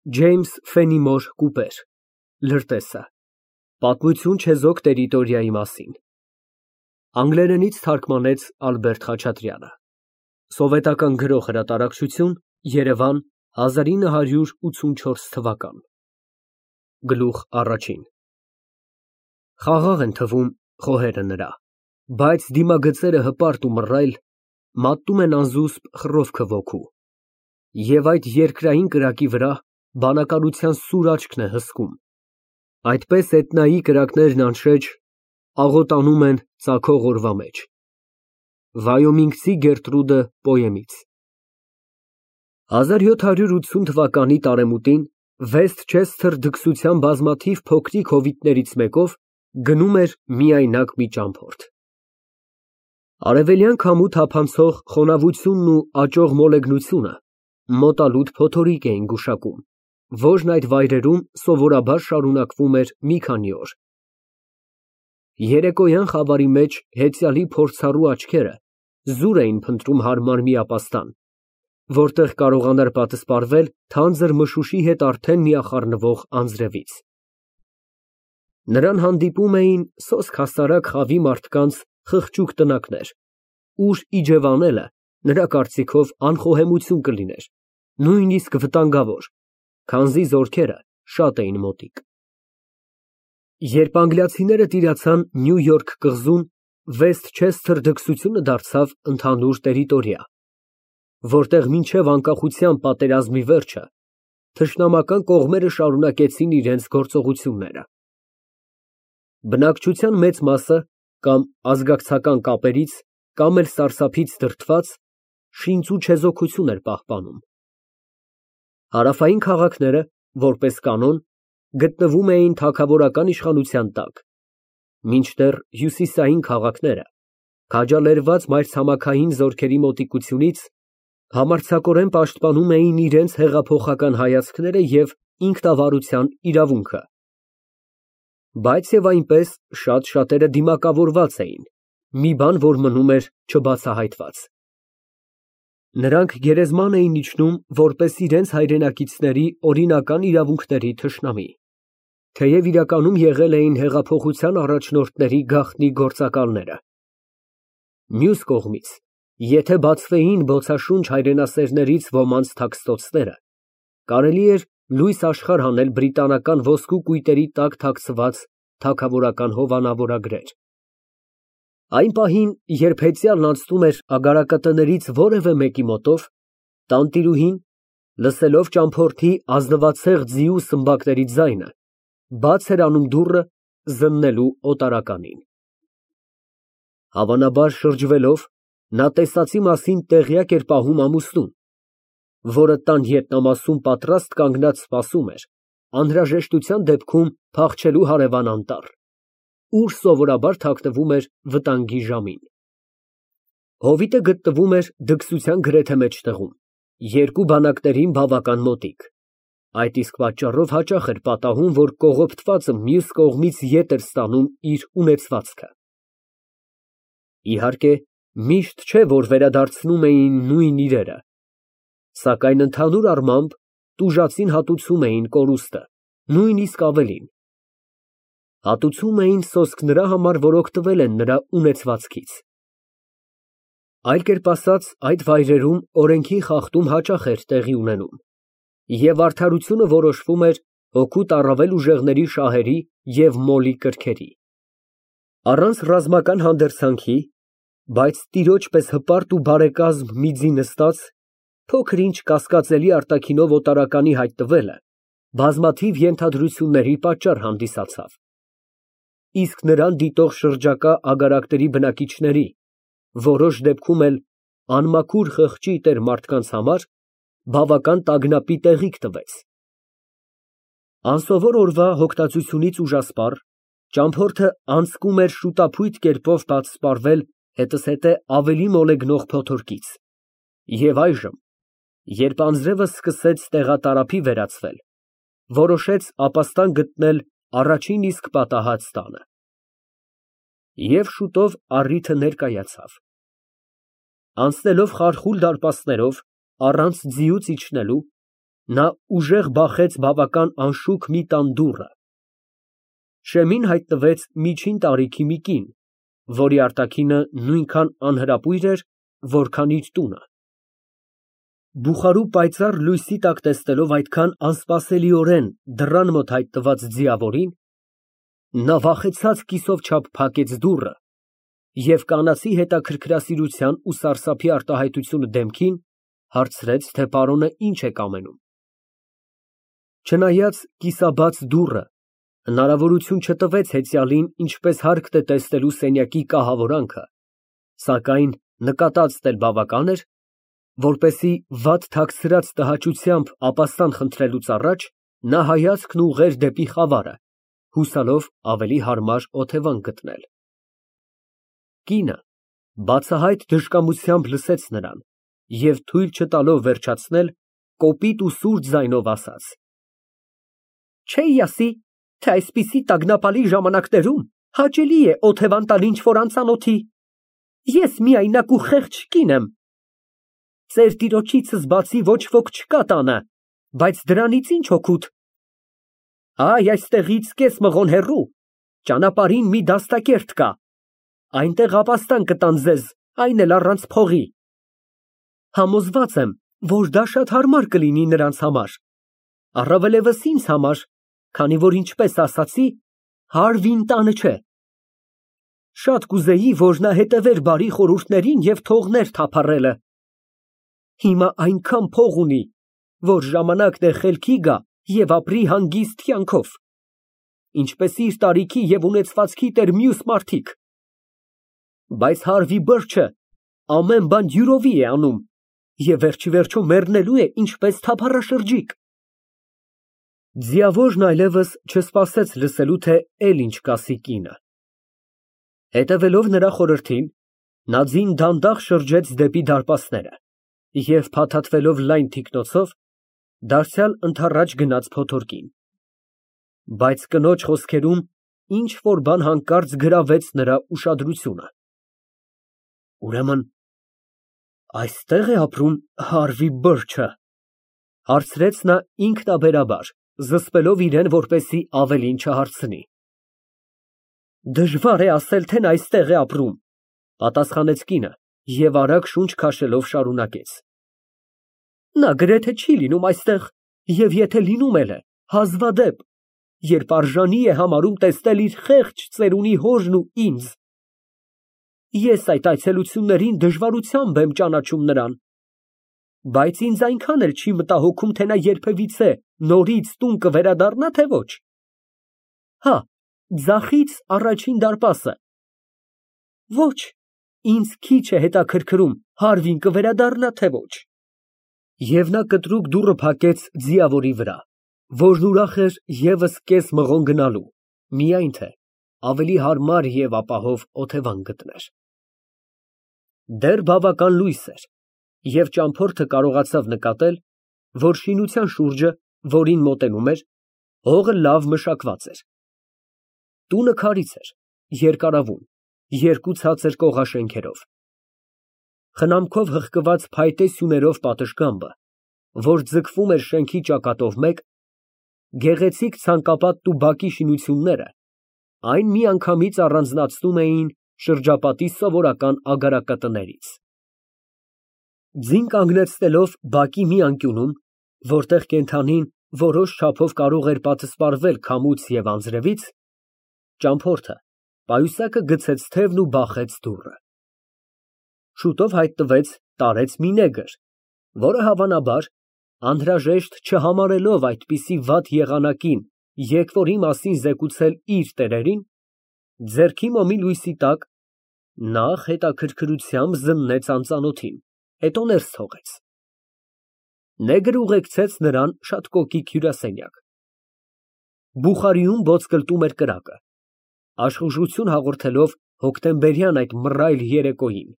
Ջեյմս Ֆենիմոր Կուպեր, Լրտեսը, Պատմություն չեզոք տերիտորիայի մասին, անգլերենից թարգմանեց Ալբերտ Խաչատրյանը, Սովետական Գրող Հրատարակչություն, Երևան 1984 Գլուխ առաջին Խաղաղ են թվում խոհերը նրա, բայց դիմագծերը հպարտ ու մռայլ, մատնում են անզուսպ խռովքը ոգու, և այդ երկրային կրակի վրա բանականության սուր աչքն է հսկում, այդպես էտնայի կրակներն անշեջ աղոտանում են ծագող օրվա մեջ։ Վայոմինգցի Գերտրուդը պոեմից 1780 թվականի տարեմուտին Վեսթչեսթեր դքսության բազմաթիվ փոքրիկ հովիտներից մեկով գնում էր միայնակ մի ճամփորդ։ Արևելյան քամու թափանցող խոնավությունն ու աճող մոլեգնությունը մոտալուտ փոթորիկ էին գուշակում, որն այդ վայրերում սովորաբար շարունակվում էր մի քանի օր։ Երեկոյան խավարի մեջ հեծյալի փորձառու աչքերը զուր էին փնտրում հարմար մի ապաստան, որտեղ կարողանար պատսպարվել թանձր մշուշի հետ արդեն միախառնվող անձրևից։ Նրան հանդիպում էին սոսկ հասարակ խավի մարդկանց խղճուկ տնակներ, ուր իջևանելը նրա կարծիքով անխոհեմություն կլիներ, նույնիսկ վտանգավոր, քանզի զորքերը շատ էին մոտիկ։ Երբ անգլիացիները տիրացան Նյու Յորք կղզուն, Վեսթչեսթեր դքսությունը դարձավ ընդհանուր տերիտորիա, որտեղ մինչև անկախության պատերազմի վերջը թշնամական կողմերը շարունակեցին իրենց գործողությունները։ Բնակչության մեծ մասը կամ ազգակցական կապերից, կամ էլ սարսափից դրդված շինծ ու չեզոքություն էր պահպանում։ Հարավային քաղաքները, որպես կանոն, գտնվում էին թագավորական իշխանության տակ, մինչդեռ հյուսիսային քաղաքները, քաջալերված մայրցամաքային զորքերի մոտիկությունից, համարձակորեն պաշտպանում էին իրենց հեղափոխական հայացքները և ինքնավարության իրավունքը։ Բայց և այնպես շատ շատերը դիմակավորված էին, մի բան, որ մնում էր չբացահայտված։ Նրանք գերեզման էին իջնում որպես իրենց հայրենակիցների օրինական իրավունքների թշնամի, թեև իրականում եղել էին հեղափոխության առաջնորդների գաղտնի գործակալները։ Մյուս կողմից, եթե բացվեին բոցաշունչ հայրենասերներից ոմանց թաքստոցները, կարելի էր լույս աշխարհ հանել բրիտանական ոսկու կույտերի տակ թաքցված թագավորական հովանավորագրեր։ Այն պահին, երբ հեծյալն անցնում էր ագարակատներից որևէ մեկի մոտով, տանտիրուհին, լսելով ճամփորդի ազնվացեղ ձիու սմբակների ձայնը, բաց էր անում դուռը զննելու օտարականին։ Հավանաբար շրջվելով, նա տեսածի մասին տեղյակ էր պահում ամուսնուն, որը տան ետնամասում պատրաստ կանգնած սպասում էր անհրաժեշտության դեպքում փախչելու հարևան անտառ, ուր սովորաբար թաքնվում էր վտանգի ժամին։ Հովիտը գտնվում էր դքսության գրեթե մեջտեղում, երկու բանակներին բավական մոտիկ, այդ իսկ պատճառով հաճախ էր պատահում, որ կողոպտվածը մյուս կողմից ետ էր ստանում իր ունեցվածքը։ Իհարկե, միշտ չէ, որ վերադարձնում էին նույն իրերը, սակայն ընդհանուր առմամբ տուժածին հատուցում էին կորուստը, նույնիսկ ավելին։ Հատուցում էին սոսկ նրա համար, որ օգտվել են նրա ունեցվածքից։ Այլ կերպ ասած, այդ վայրերում օրենքի խախտում հաճախ էր տեղի ունենում, և արդարությունը որոշվում էր հօգուտ առավել ուժեղների շահերի և մոլի կրքերի։ Առանց ռազմական հանդերձանքի, բայց տիրոջ պես հպարտ ու բարեկազմ մի ձի նստած, փոքր-ինչ կասկածելի արտաքինով օտարականի հայտնվելը բազմաթիվ ենթադրությունների պատճառ հանդիսացավ, իսկ նրան դիտող շրջակա ագարակների բնակիչների, որոշ դեպքում էլ անմաքուր խղճի տեր մարդկանց համար բավական տագնապի տեղիք տվեց։ Անսովոր օրվա հոգնածությունից ուժասպառ, ճամփորդը անցկում էր շուտափույթ կերպով պատսպարվել հետզհետե ավելի մոլեգնող փոթորկից, և այժմ, երբ անձրևը սկսեց տեղատարափի վերածվել, որոշեց ապաստան գտնել առաջին իսկ պատահած տանը։ Եվ շուտով առիթը ներկայացավ։ Անցնելով խարխուլ դարպասներով, առանց ձիուց իջնելու, Նա ուժեղ բախեց բավական անշուք մի տան դուռը։ Շեմին հայտնվեց միջին տարիքի մի կին, որի արտաքինը նույնքան անհրապույր էր, որքան իր տունը։ Բուխարու պայծառ լույսի տակ տեսնելով այդքան անսպասելիորեն դռան մոտ հայտնված ձիավորին, նա վախեցած կիսով չափ փակեց դուռը և կանացի հետաքրքրասիրության ու սարսափի արտահայտությունը դեմքին, հարցրեց, թե պարոնը ինչ է կամենում։ Չնայած կիսաբաց դուռը հնարավորություն չտվեց հեծյալին ինչպես հարկտ է տեսնելու սենյակի կահավորանքը, սակայն նկատած էլ բավական էր, որպեսզի վատ թաքցրած տհաճությամբ ապաստան խնդրելուց առաջ նա հայացքն ուղղեր դեպի խավարը, հուսալով ավելի հարմար օթևան գտնել։ Կինը բացահայտ դժկամությամբ լսեց նրան և թույլ չտալով վերջացնել, կոպիտ ու սուր ձայնով ասաց. Չէի ասի, թե այսպիսի տագնապալի ժամանակներում հաճելի է օթևան տալ ինչ֊որ անծանոթի։ Ես միայնակ ու խեղճ կին եմ։ Ձեր տիրոջիցս բացի ոչ ոք չկա տանը, բայց դրանից ինչ օգուտ։ Այ այստեղից կես մղոն հեռու, ճանապարհին մի դաստակերտ կա, այնտեղ ապաստան կտան ձեզ, այն էլ առանց փողի։ Համոզված եմ, որ դա շատ հարմար կլինի նրանց համար, առավելևս ինձ համար, քանի որ ինչպես ասացի, Հարվին տանը չէ։ Շատ կուզեի, որ նա հետևեր բարի խորհուրդներին և թողներ թափառելը։ Հիմա այնքան փող ունի, որ ժամանակն է խելքի գա և ապրի հանգիստ կյանքով, ինչպես իր տարիքի և ունեցվածքի տեր մյուս մարդիկ։ Բայց Հարվի բրջը ամեն բան յուրովի է անում և վերջիվերջո մեռնելու է ինչպես թափառաշրջիկ։ Ձիավորն այլևս չսպասեց լսելու, թե էլ ինչ կասի կինը։ Հետևելով նրա խորհրդին, նա ձին դանդաղ շրջեց դեպի դարպասները և փաթաթվելով լայն թիկնոցով, դարձյալ ընդառաջ գնաց փոթորկին։ Բայց կնոջ խոսքերում ինչ֊որ բան հանկարծ գրավեց նրա ուշադրությունը։ Ուրեմն այստե՞ղ է ապրում Հարվի բրջը, հարցրեց նա ինքնաբերաբար, զսպելով իրեն, որպեսզի ավելին չհարցնի։ Դժվար է ասել, թե նա այստեղ է ապրում, պատասխանեց կինը և արագ շունչ քաշելով շարունակեց. Նա գրեթե չի լինում այստեղ և եթե լինում էլ է, հազվադեպ, երբ արժանի է համարում տեսնել իր խեղճ ծերունի հորն ու ինձ։ Ես այդ այցելություններին դժվարությամբ եմ ճանաչում նրան, բայց ինձ այնքան էլ չի մտահոգում, թե նա երբևիցե նորից տուն կվերադառնա, թե ոչ։ Հա, ձախից առաջին դարպասը։ Ոչ, ինձ քիչ է հետաքրքրում Հարվին կվերադառնա, թե ոչ։ Եվ նա կտրուկ դուռը փակեց ձիավորի վրա, որն ուրախ էր ևս կես մղոն գնալու, միայն թե ավելի հարմար և ապահով օթևան գտներ։ Դեռ բավական լույս էր, և ճամփորդը կարողացավ նկատել, որ շինության շուրջը, որին մոտենում էր, հողը լավ մշակված էր։ Տունը քարից էր, երկարավուն, երկու ցածր կողաշենքերով։ Խնամքով հղկված փայտե սյուներով պատշգամբը, որ ձգվում էր շենքի ճակատով մեկ, գեղեցիկ ցանկապատն ու բակի շինությունները այն միանգամից առանձնացնում էին շրջապատի սովորական ագարակատներից։ Ձին կանգնեցնելով բակի մի անկյունում, որտեղ կենդանին որոշ չափով կարող էր պատսպարվել քամուց և անձրևից, ճամփորդը պայուսակը գցեց թևն ու բախեց դուռը։ Շուտով հայտնվեց տարեց մի նեգր, որը հավանաբար, անհրաժեշտ չհամարելով այդպիսի վատ եղանակին եկվորի մասին զեկուցել իր տերերին, ձեռքի մոմի լույսի տակ նախ հետաքրքրությամբ զննեց անծանոթին, հետո ներս թողեց։ Նեգրը ուղեկցեց նրան շատ կոկիկ հյուրասենյակ։ Բուխարիում ոսկլտում էր կրակը, աշխուժություն հաղորդելով հոկտեմբերյան այդ մռայլ երեկոյին։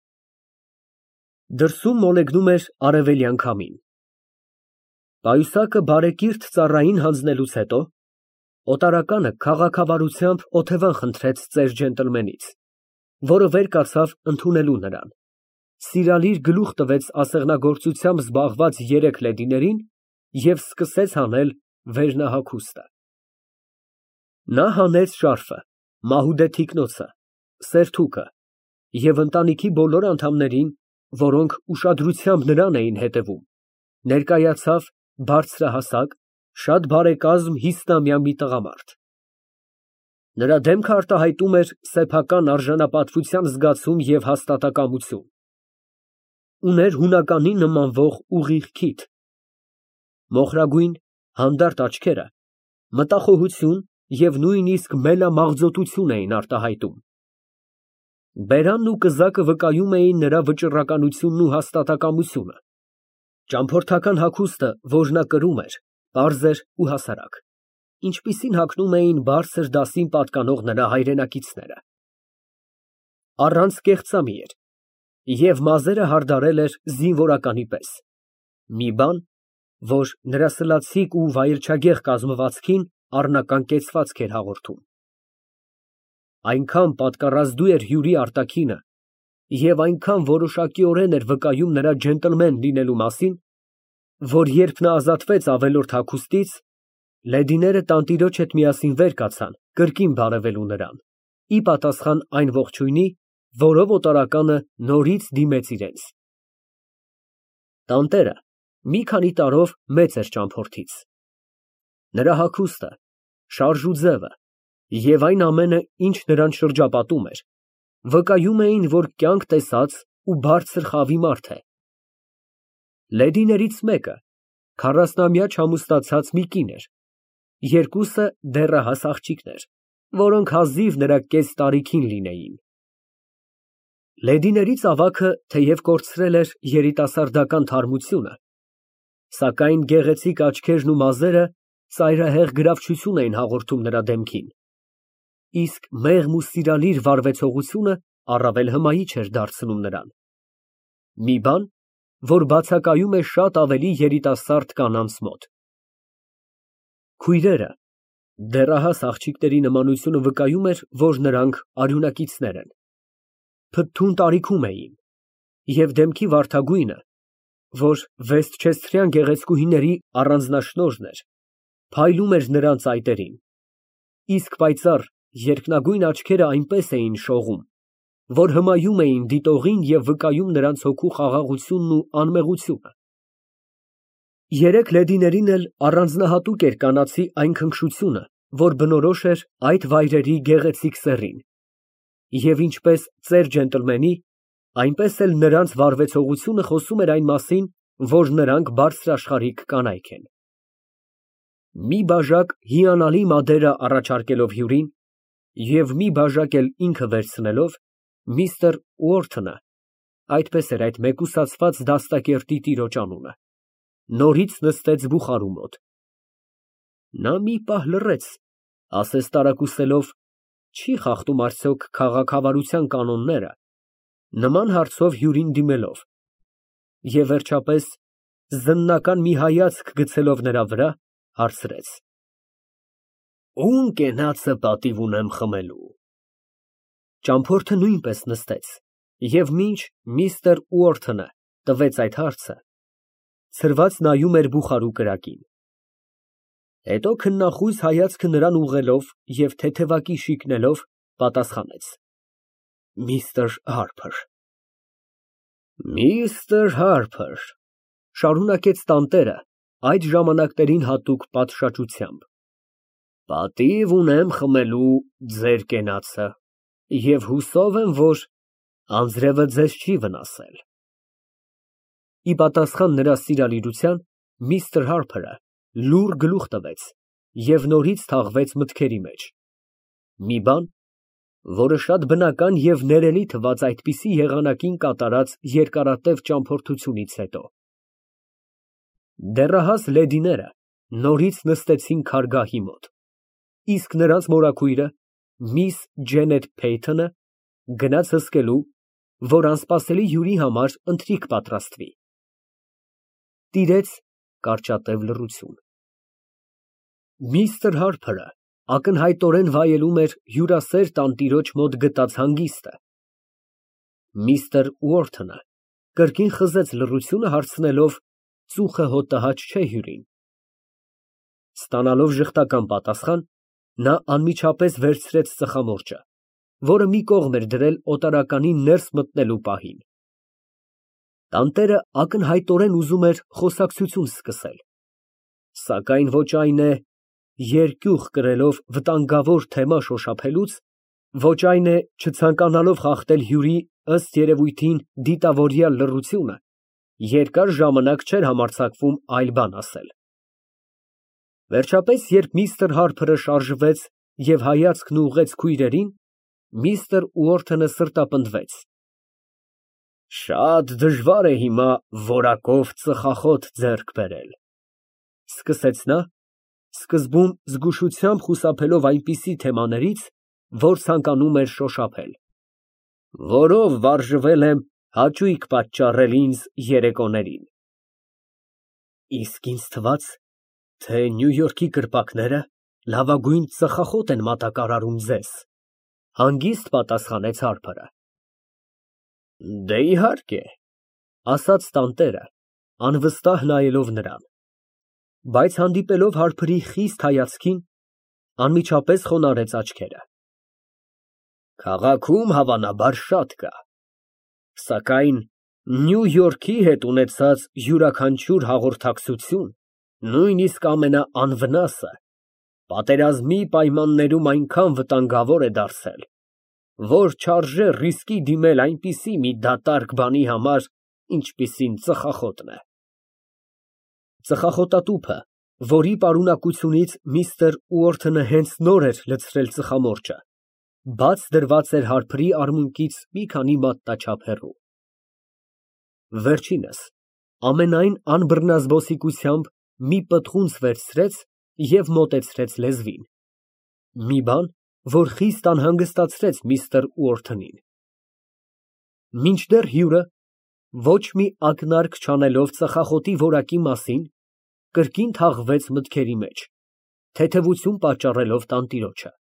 Դրսում մոլեգնում էր արևելյան քամին։ Պայուսակը բարեկիրթ ծառային հանձնելուց հետո օտարականը քաղաքավարությամբ օթևան խնդրեց ծեր ջենտլմենից, որը վեր կացավ ընդունելու նրան, սիրալիր գլուխ տվեց ասեղնագործությամբ զբաղված երեք լեդիներին և սկսեց հանել վերնահագուստը։ Նա հանեց շարֆը, մահուդե թիկնոցը, սերթուկը և ընտանիքի բոլոր անդամներին, որոնք ուշադրությամբ նրան էին հետևում, ներկայացավ բարձրահասակ, շատ բարեկազմ 50-ամյա մի տղամարդ։ Նրա դեմքը արտահայտում էր սեփական արժանապատվության զգացում և հաստատակամություն։ Ուներ հունականի նմանվող ուղիղ քիթ, մոխրագույն հանդարտ աչքերը մտախոհություն և նույնիսկ մելամաղձոտություն էին արտահայտում։ Բերանն ու կզակը վկայում էին նրա վճռականությունն ու հաստատակամությունը։ Ճամփորդական հագուստը, որ նա կրում էր, պարզ էր ու հասարակ, ինչպիսին հագնում էին բարձր դասին պատկանող նրա հայրենակիցները։ Առանց կեղծամի էր և մազերը հարդարել էր զինվորականի պես, մի բան, որ նրա սլացիկ ու վայելչագեղ կազմվածքին առնական կեցվածք էր հաղորդում։ Այնքան պատկառազդու էր հյուրի արտաքինը և այնքան որոշակիորեն էր վկայում նրա ջենտլմեն լինելու մասին, որ երբ նա ազատվեց ավելորդ հագուստից, լեդիները տանտիրոջ հետ միասին վեր կացան կրկին բարևելու նրան, ի պատասխան այն ողջույնի, որով օտարականը նորից դիմեց իրենց։ Տանտերը մի քանի տարով մեծ էր ճամփորդից։ Նրա հագուստը, շարժ ու ձևը և այն ամենը, ինչ նրան շրջապատում էր, վկայում էին, որ կյանք տեսած ու բարձր խավի մարդ է։ Լեդիներից մեկը 40-ամյա չամուսնացած մի կին էր, երկուսը դեռահաս աղջիկներ, որոնք հազիվ նրա կես տարիքին լինեին։ Լեդիներից ավագը թեև կորցրել էր երիտասարդական թարմությունը, սակայն գեղեցիկ աչքերն ու մազերը ծայրահեղ գրավչություն էին հաղորդում նրա դեմքին, իսկ մեղմ ու սիրալիր վարվեցողությունը առավել հմայիչ էր դարձնում նրան, մի բան, որ բացակայում է շատ ավելի երիտասարդ կանանց մոտ։ Քույրերը, դեռահաս աղջիկների նմանությունը վկայում էր, որ նրանք արյունակիցներ են, փթթուն տարիքում էին, և դեմքի վարդագույնը, որ վեստչեսթրյան գեղեցկուհիների առանձնաշնորհն էր, փայլում էր նրանց այտերին, իսկ պայծառ երկնագույն աչքերը այնպես էին շողում, որ հմայում էին դիտողին և վկայում նրանց հոգու խաղաղությունն ու անմեղությունը։ Երեք լեդիներին էլ առանձնահատուկ էր կանացի այն քնքշությունը, որ բնորոշ էր այդ վայրերի գեղեցիկ սեռին, և ինչպես ծեր ջենտլմենի, այնպես էլ նրանց վարվեցողությունը խոսում էր այն մասին, որ նրանք բարձրաշխարհիկ կանայք են։ Մի բաժակ հիանալի մադերա առաջարկելով հյուրին և մի բաժակ էլ ինքը վերցնելով, միստր Ուորթոնը (այդպես էր այդ մեկուսացված դաստակերտի տիրոջ անունը) նորից նստեց բուխարու մոտ։ Նա մի պահ լռեց, ասես տարակուսելով, չի խախտում արդյոք քաղաքավարության կանոնները, նման հարցով հյուրին դիմելով, և վերջապես, զննական մի հայացք գցելով նրա վրա, հարցրեց. Ո՞ւմ կենացը պատիվ ունեմ խմելու։ Ճամփորդը նույնպես նստեց, և մինչ միստր Ուորթոնը տվեց այդ հարցը, ցրված նայում էր բուխարու կրակին։ Հետո քննախույս հայացքը նրան ուղղելով և թեթևակի շիկնելով, պատասխանեց. Միստր Հարփր։ Միստր Հարփր, շարունակեց տանտերը այդ ժամանակներին հատուկ պատշաճությամբ, պատիվ ունեմ խմելու ձեր կենացը և հուսով եմ, որ անձրևը ձեզ չի վնասել։ Ի պատասխան նրա սիրալիրության, միստր Հարփրը լուռ գլուխ տվեց և նորից թաղվեց մտքերի մեջ, մի բան, որը շատ բնական և ներելի թվաց այդպիսի եղանակին կատարած երկարատև ճամփորդությունից հետո։ Դեռահաս լեդիները նորից նստեցին քարգահի մոտ, իսկ նրանց մորաքույրը, միս Ջենետ Փեյթոնը, գնաց հսկելու, որ անսպասելի հյուրի համար ընթրիք պատրաստվի։ Տիրեց կարճատև լռություն։ Միստր Հարփրը ակնհայտորեն վայելում էր հյուրասեր տանտիրոջ մոտ գտած հանգիստը։ Միստր Ուորթոնը կրկին խզեց լռությունը, հարցնելով. ծուխը հոտահաճ չէ հյուրին։ Ստանալով ժխտական պատասխան, նա անմիջապես վերցրեց ծխամորճը, որը մի կողմ էր դրել օտարականին ներս մտնելու պահին։ Տանտերը ակնհայտորեն ուզում էր խոսակցություն սկսել, սակայն ոչ այն է, երկյուղ կրելով վտանգավոր թեմա շոշափելուց, ոչ այն է, չցանկանալով խախտել հյուրի ըստ երևույթին դիտավորյալ լռությունը, երկար ժամանակ չէր համարձակվում այլ բան ասել։ Վերջապես, երբ միստր Հարփրը շարժվեց և հայացքն ուղղեց քույրերին, միստր Ուորթոնը սրտապնդվեց։ Շատ դժվար է հիմա որակով ծխախոտ ձեռք բերել, սկսեց նա, սկզբում զգուշությամբ խուսափելով այնպիսի թեմաներից, որ ցանկանում էր շոշափել, որով վարժվել եմ հաճույք պատճառել ինձ երեկոներին։ Իսկ ինձ թվաց, թե Նյու Յորքի կրպակները լավագույն ծխախոտ են մատակարարում ձեզ, հանգիստ պատասխանեց Հարփրը։ Դե իհարկե, ասաց տանտերը, անվստահ նայելով նրան, բայց հանդիպելով Հարփրի խիստ հայացքին, անմիջապես խոնարհեց աչքերը։ Քաղաքում հավանաբար շատ կա, սակայն Նյու Յորքի հետ ունեցած յուրաքանչյուր հաղորդակցություն, նույնիսկ ամենաանվնասը, պատերազմի պայմաններում այնքան վտանգավոր է դարձել, որ չարժե ռիսկի դիմել այնպիսի մի դատարկ բանի համար, ինչպիսին ծխախոտն է։ Ծխախոտատուփը, որի պարունակությունից միստր Ուորթոնը հենց նոր էր լցրել ծխամորճը, բաց դրված էր Հարփրի արմունկից մի քանի մատնաչափ հեռու։ Վերջինս ամենայն անբռնազբոսիկությամբ մի պտղունց վերցրեց և մոտեցրեց լեզվին, մի բան, որ խիստ անհանգստացրեց միստր Ուորթոնին։ Մինչդեռ հյուրը, ոչ մի ակնարկ չանելով ծխախոտի որակի մասին, կրկին թաղվեց մտքերի մեջ, թեթևություն պատճառելով տանտիրոջը։